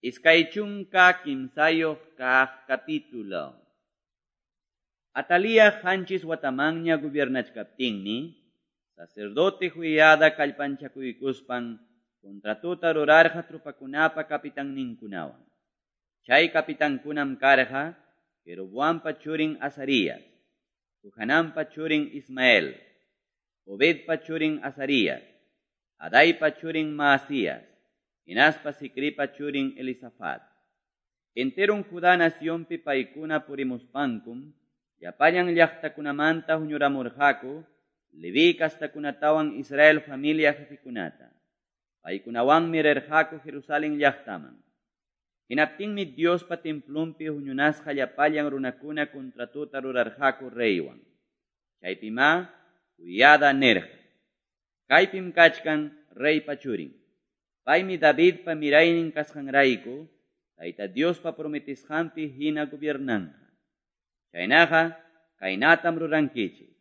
23 kaq capítulo. Atalía 7 watamanña gobernachkaptinmi, sacerdote Joiada kallpanchakuykuspan contratuta rurarqa tropakunapa capitanninkunawan. Chay capitankunam karqa Jeroboampa churin Azarías, Johananpa churin Ismael, Obedpa churin Azarías, Adaipa churin Maasías, hinaspa Zicripa churin Elisafat. Enteron Judá nacionpi paykuna purimuspankum, llapallan llaqtakunamanta huñuramurqaku, Leví kastakunatawan Israel familia jefekunata. Paykunawanmi rirqaku Jerusalén llaqtaman. Hinaptinmi Diospa templonpi huñunasqa llapallan runakuna contratuta rurarqaku reywan. Chaypimá Joiada nirqa: Kaypim kachkan reypa churin. Paymi Davidpa miraynin kasqanrayku, Tayta Diospa prometisqanpi hina gobiernanqa. Chaynaqa kaynatam rurankichik.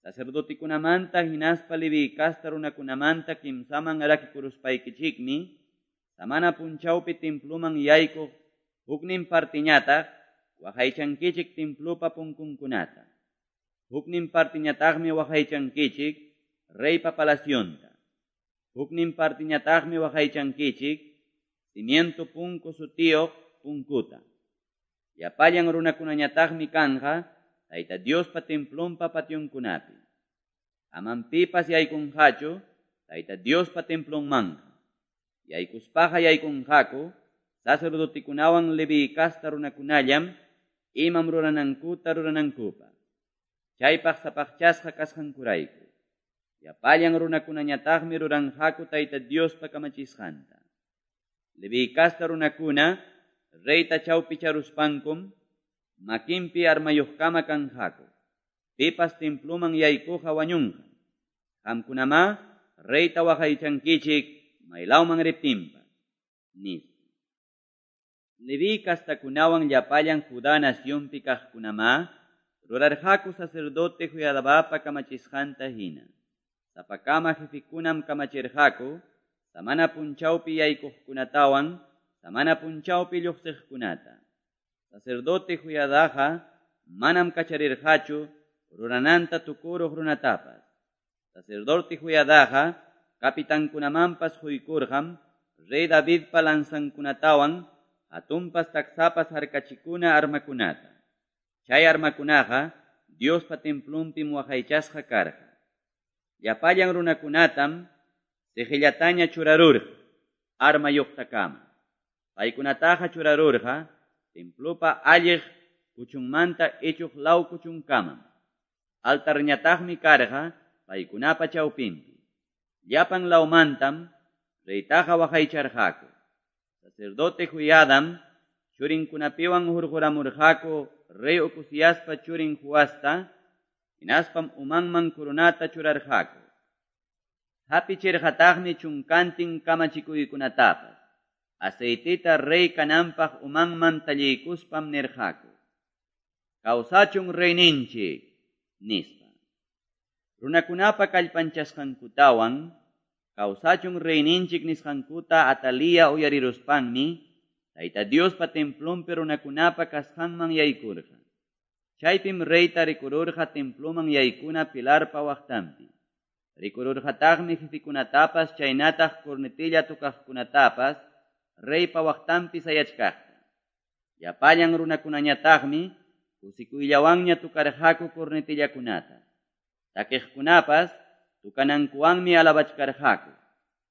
Sacerdotekunamanta hinaspa Leví kasta runakunamanta kimsaman rakikuruspaykichikmi, samana punchawpi temploman yaykuq huknin partiñataq waqaychankichik templopa punkunkunata. Huknin partiñataqmi waqaychankichik reypa palacionta. Huknin partiñataqmi waqaychankichik cimiento punku sutiyuq punkuta. Llapallan runakunañataqmi kanqa Tayta Diospa templonpa pationkunapi. Amam pipas yaykunqachu Tayta Diospa templonmanqa. Yaykuspaqa yaykunqaku sacerdotekunawan Leví kasta runakunallam imam ruranankuta ruranankupaq. Chaypaq sapaqchasqa kasqankurayku. Llapallan runakunañataqmi ruranqaku Tayta Diospa kamachisqanta. Leví kasta runakuna reyta chawpicharuspankum makinpi armayuqkama kanqaku. Pipas temploman yaykuqa wañunqa. Qamkunamá reyta waqaychankichik maylawman riptinpas, nispa. Leví kastakunawan llapallan Judá nacionpi kaqkunamá rurarqaku sacerdote Joiadapa kamachisqanta hina. Sapakama jefekunam kamachirqaku samana punchawpi yaykuqkunatawan samana punchawpi lluqsiqkunata. Sacerdote Joiadaqa manam kacharirqachu rurananta tukuruq runatapas. Sacerdote Joiadaqa capitankunamanpas quykurqam rey Davidpa lanzankunatawan hatunpas taksapas harkachikuna armakunata. Chay armakunaqa Diospa templonpim waqaychasqa karqa. Llapallan runakunatam siqillataña churarurqa armayuqtakama. Paykunataqa churarurqa templopa alliq kuchunmanta ichuq law kuchunkamam. Altarñataqmi karqa paykunapa chawpinpi. Llapan lawmantam reytaqa waqaycharqaku. Sacerdote Joiadam churinkunapiwan hurquramurqaku rey Ocoziaspa churin Joasta, hinaspam umanman coronata churarqaku. Hapichirqataqmi chunkantin kamachikuykunatapas. Aceitita rey kananpaq umanman talliykuspam nirqaku: Kawsachun reyninchik, nispa. Runakunapa kallpanchasqankutawan kawsachun reyninchik nisqankuta Atalía uyariruspanmi Tayta Diospa templonpi runakunapa kasqanman yaykurqa. Chaypim reyta rikururqa temploman yaykuna pilarpa waqtanpi. Rikururqataqmi jefekunatapas chaynataq cornetilla tukaqkunatapas reypa waqtanpi sayachkaqta. Llapallan runakunañataqmi kusikuyllawanña tukarqaku cornetillakunata. Takiqkunapas tukanankuwanmi alabachkarqaku.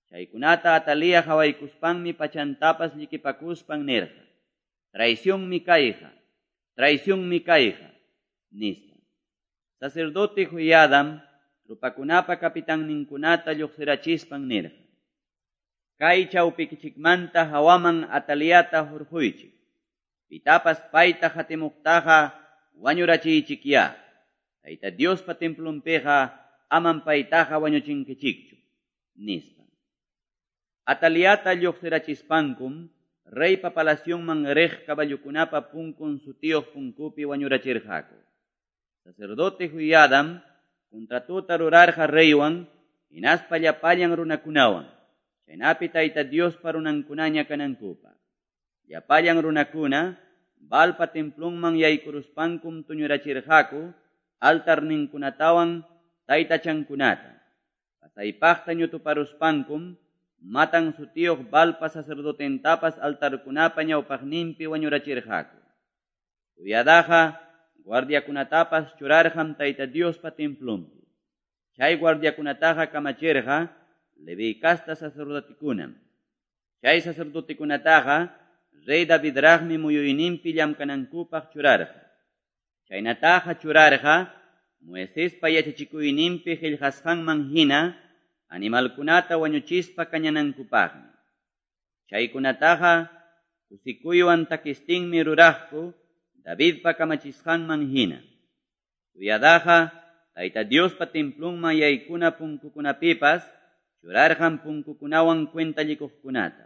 Chaykunata Atalía qhawaykuspanmi pachantapas llikipakuspan nirqa: Traicionmi kayqa, traicionmi kayqa, nispa. Sacerdote Joiadam tropakunapa capitanninkunata lluqsirachispan nirqa: Kay chawpikichikmanta hawaman Ataliata hurquychik. Pitapas payta qatimuqtaqa wañurachiychikyá. Tayta Diospa templonpiqa amam paytaqa wañuchinkichikchu, nispa. Ataliata lluqsirachispankum reypa palacionman riq caballokunapa punkun sutiyuq punkupi wañurachirqaku. Sacerdote Joiadam contratuta rurarqa reywan hinaspa llapallan runakunawan, chaynapi Tayta Diospa runankunaña kanankupaq. Llapallan runakuna Baalpa templonman yaykuruspankum tuñurachirqaku altarninkunatawan taytachankunata. Pasaypaqta ñutuparuspankum Matan sutiyuq Baalpa sacerdotentapas altarkunapa ñawpaqninpi wañurachirqaku. Joiadaqa guardiakunatapas churarqam Tayta Diospa templonpi. Chay guardiakunataqa kamachirqa Leví casta sacerdotekunam. Chay sacerdotekunataqa rey Davidraqmi muyuyninpi llamkanankupaq churarqa. Chaynataqa churarqa Moisespa yachachikuyninpi qillqasqanman hina animalkunata wañuchispa kañanankupaqmi. Chaykunataqa kusikuywan takistinmi ruraqku Davidpa kamachisqanman hina. Joiadaqa Tayta Diospa templonman yaykuna punkukunapipas churarqam punkukunawan cuentallikuqkunata.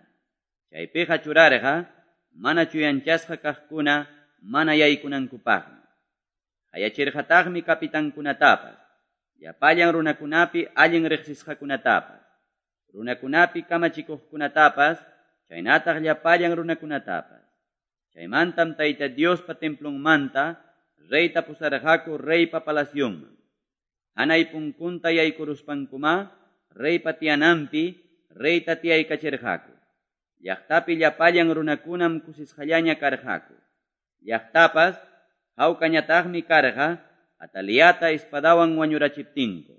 Chaypiqa churarqa mana chuyanchasqa kaqkuna mana yaykunankupaqmi. Qayachirqataqmi kapitankunatapas, llapallan runakunapi allin riqsisqakunatapas, runakunapi kamachikuqkunatapas, chaynataq llapallan runakunatapas. Chaymantam Tayta Diospa templonmanta reyta pusarqaku reypa palacionman. Hanay punkunta yaykuruspankuma reypa tiyananpi reyta tiyaykachirqaku. Llaqtapi llapallan runakunam kusisqallaña karqaku. Llaqtapas hawkañataqmi karqa Ataliata espadawan wañurachiptinku.